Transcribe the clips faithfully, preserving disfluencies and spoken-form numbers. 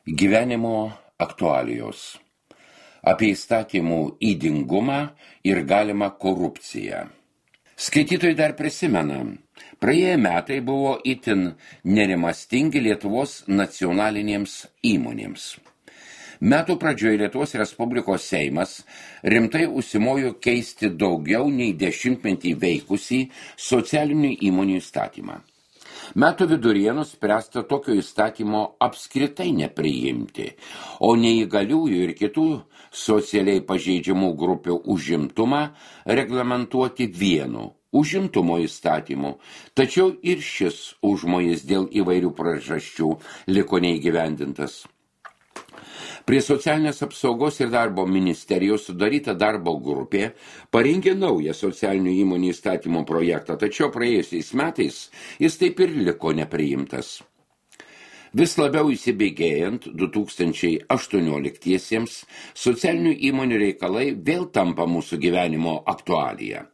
Gyvenimo aktualijos. Apie įstatymų ydingumą ir galimą korupciją. Skaitytojai dar prisimena, praėję metai buvo itin nerimastingi Lietuvos nacionalinėms įmonėms. Metų pradžioje Lietuvos Respublikos Seimas rimtai užsimojo keisti daugiau nei dešimtmetį veikusį socialinių įmonių įstatymą. Metų viduryje nuspręsta tokio įstatymo apskritai nepriimti, o neįgaliųjų ir kitų socialiai pažeidžiamų grupių užimtumą reglamentuoti vienu užimtumo įstatymu, tačiau ir šis užmojis dėl įvairių priežasčių liko neįgyvendintas. Prie socialinės apsaugos ir darbo ministerijos sudaryta darbo grupė parengė naują socialinių įmonių įstatymo projektą, tačiau praėjusiais metais jis taip ir liko nepriimtas. Vis labiau įsibėgėjant du tūkstančiai aštuonioliktiesiems socialinių įmonių reikalai vėl tampa mūsų gyvenimo aktualija.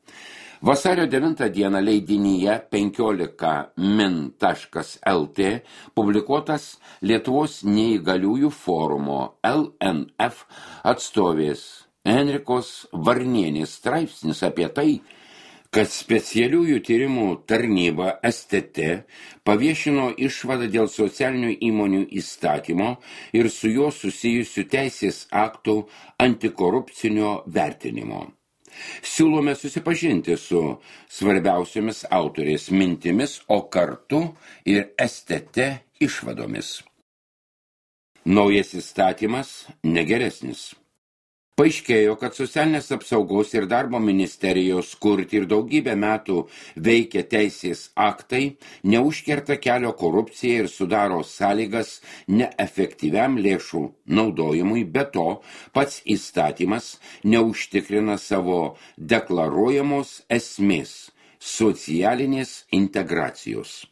Vasario devintą dieną leidinyje penkiolika min taškas el tė publikuotas Lietuvos neįgaliųjų forumo L N F atstovės Enrikos Varnienės straipsnis apie tai, kad specialiųjų tyrimų tarnyba S T T paviešino išvadą dėl socialinių įmonių įstatymo ir su juo susijusių teisės aktų antikorupcinio vertinimo. Siūlome susipažinti su svarbiausiomis autorės mintimis, o kartu ir S T T išvadomis. Naujas įstatymas negeresnis. Paaiškėjo, kad socialinės apsaugos ir darbo ministerijos kurti ir daugybę metų veikia teisės aktai, neužkerta kelio korupcijai ir sudaro sąlygas neefektyviam lėšų naudojimui, be to pats įstatymas neužtikrina savo deklaruojamos esmės socialinės integracijos.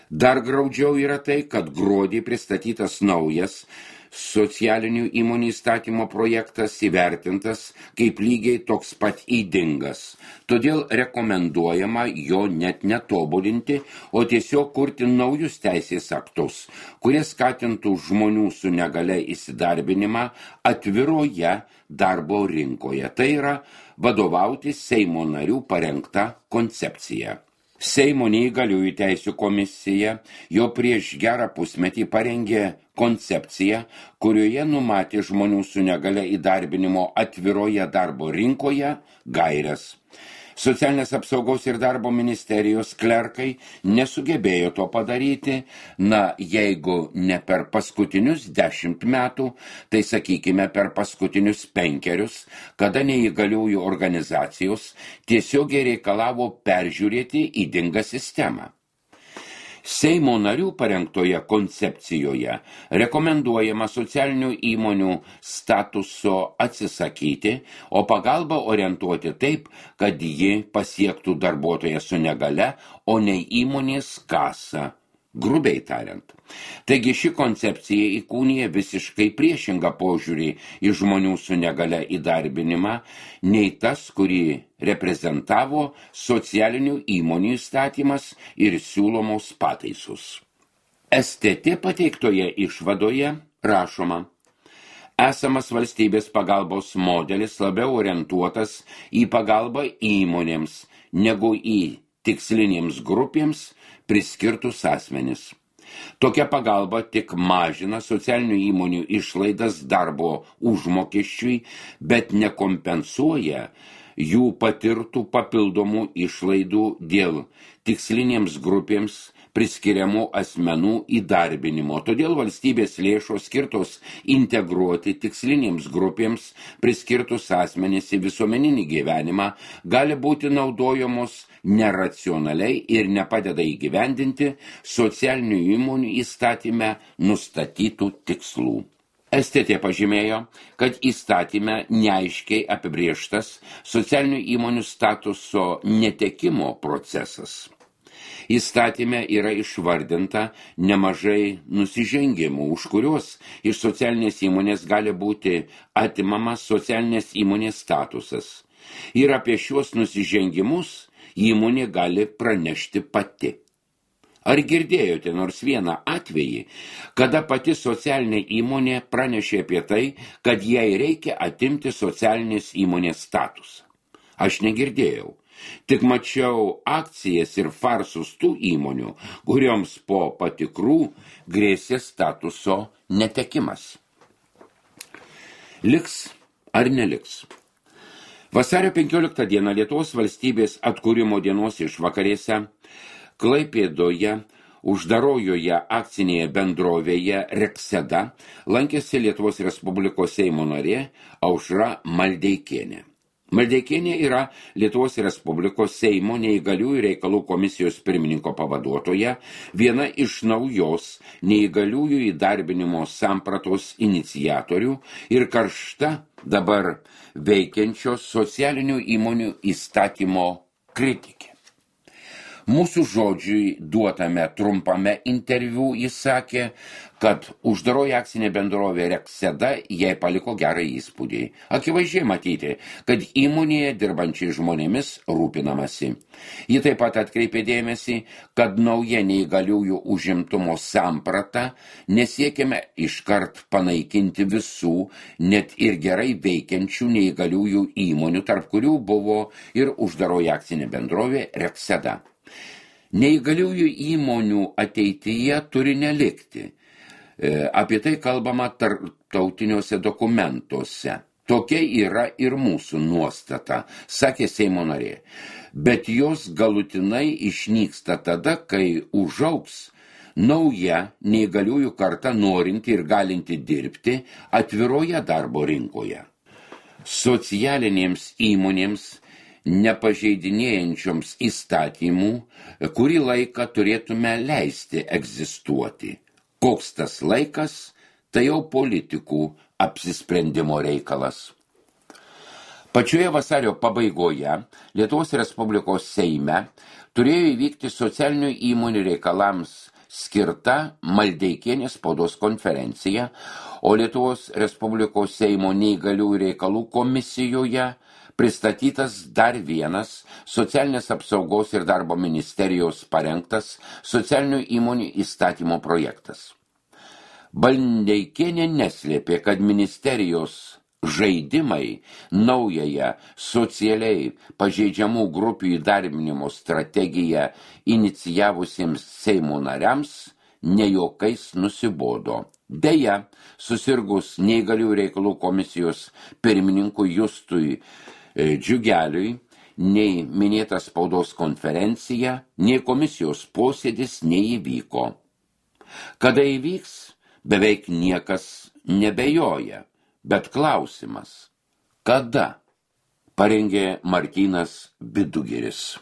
Dar graudžiau yra tai, kad gruodį pristatytas naujas socialinių įmonių įstatymo projektas įvertintas kaip lygiai toks pat ydingas, todėl rekomenduojama jo net netobulinti, o tiesiog kurti naujus teisės aktus, kurie skatintų žmonių su negalia įsidarbinimą atviroje darbo rinkoje. Tai yra vadovauti Seimo narių parengta koncepcija. Seimo neįgaliųjų teisių komisija jo prieš gerą pusmetį parengė koncepciją, kurioje numatė žmonių su negalia įdarbinimo atviroje darbo rinkoje gaires. Socialinės apsaugos ir darbo ministerijos klerkai nesugebėjo to padaryti, na, jeigu ne per paskutinius dešimt metų, tai sakykime per paskutinius penkerius, kada neįgaliųjų organizacijos tiesiogiai reikalavo peržiūrėti ydingą sistemą. Seimo narių parengtoje koncepcijoje rekomenduojama socialinių įmonių statuso atsisakyti, o pagalbą orientuoti taip, kad ji pasiektų darbuotoją su negale, o ne įmonės kasą, grubiai tariant. Taigi ši koncepcija įkūnija visiškai priešingą požiūrį į žmonių su negale įdarbinimą, nei tas, kurį reprezentavo socialinių įmonių įstatymas ir siūlomos pataisos. S T T pateiktoje išvadoje rašoma: esamas valstybės pagalbos modelis labiau orientuotas į pagalbą įmonėms negu į tikslinėms grupėms priskirtus asmenis. Tokia pagalba tik mažina socialinių įmonių išlaidas darbo užmokesčiui, bet nekompensuoja jų patirtų papildomų išlaidų dėl tikslinėms grupėms priskiriamų asmenų įdarbinimo. Todėl valstybės lėšos skirtos integruoti tikslinėms grupėms priskirtus asmenys į visuomeninį gyvenimą gali būti naudojamos neracionaliai ir nepadeda įgyvendinti socialinių įmonių įstatyme nustatytų tikslų. S T T pažymėjo, kad įstatyme neaiškiai apibrėžtas socialinių įmonių statuso netekimo procesas. Įstatyme yra išvardinta nemažai nusižengimų, už kuriuos iš socialinės įmonės gali būti atimamas socialinės įmonės statusas. Ir apie šiuos nusižengimus įmonė gali pranešti pati. Ar girdėjote nors vieną atvejį, kada pati socialinė įmonė pranešė apie tai, kad jai reikia atimti socialinės įmonės statusą? Aš negirdėjau. Tik mačiau akcijas ir farsus tų įmonių, kurioms po patikrų grėsė statuso netekimas. Liks ar neliks? Vasario penkioliktą dieną Lietuvos valstybės atkūrimo dienos išvakarėse Klaipėdoje uždarojoje akcinėje bendrovėje Rekseda lankėsi Lietuvos Respublikos Seimo narė Aušra Maldeikienė. Maldeikienė yra Lietuvos Respublikos Seimo neįgaliųjų reikalų komisijos pirmininko pavaduotoja, viena iš naujos neįgaliųjų įdarbinimo sampratos iniciatorių ir karšta dabar veikiančios socialinių įmonių įstatymo kritikė. Mūsų žodžiui duotame trumpame interviu jis sakė, kad uždaroji akcinė bendrovė Rekseda jai paliko gerą įspūdį. Akivaizdžiai matyti, kad įmonėje dirbančiai žmonėmis rūpinamasi. Ji taip pat atkreipė dėmesį, kad nauja neįgaliųjų užimtumo samprata nesiekime iškart panaikinti visų, net ir gerai veikiančių neįgaliųjų įmonių, tarp kurių buvo ir uždaroji akcinė bendrovė Rekseda. Neįgaliųjų įmonių ateityje turi nelikti. Apie tai kalbama tarptautiniuose dokumentuose. Tokia yra ir mūsų nuostata, sakė Seimo narė. Bet jos galutinai išnyksta tada, kai užaugs nauja neįgaliųjų karta norinti ir galinti dirbti atviroje darbo rinkoje. Socialinėms įmonėms nepažeidinėjančioms įstatymų, kurį laiką turėtume leisti egzistuoti. Koks tas laikas, tai jau politikų apsisprendimo reikalas. Pačioje vasario pabaigoje Lietuvos Respublikos Seime turėjo įvykti socialinių įmonių reikalams skirta Maldeikienės spaudos konferencija, o Lietuvos Respublikos Seimo neįgaliųjų reikalų komisijoje pristatytas dar vienas socialinės apsaugos ir darbo ministerijos parengtas socialinių įmonių įstatymo projektas. Maldeikienė neslėpė, kad ministerijos žaidimai naująją socialiai pažeidžiamų grupių įdarbinimo strategiją inicijavusiems Seimo nariams ne juokais nusibodo. Deja, susirgus neįgaliųjų reikalų komisijos pirmininkui Justui Džiugeliui, nei minėta spaudos konferencija, nei komisijos posėdis neįvyko. Kada įvyks, beveik niekas nebejoja, bet klausimas, kada? Parengė Martynas Vidugiris.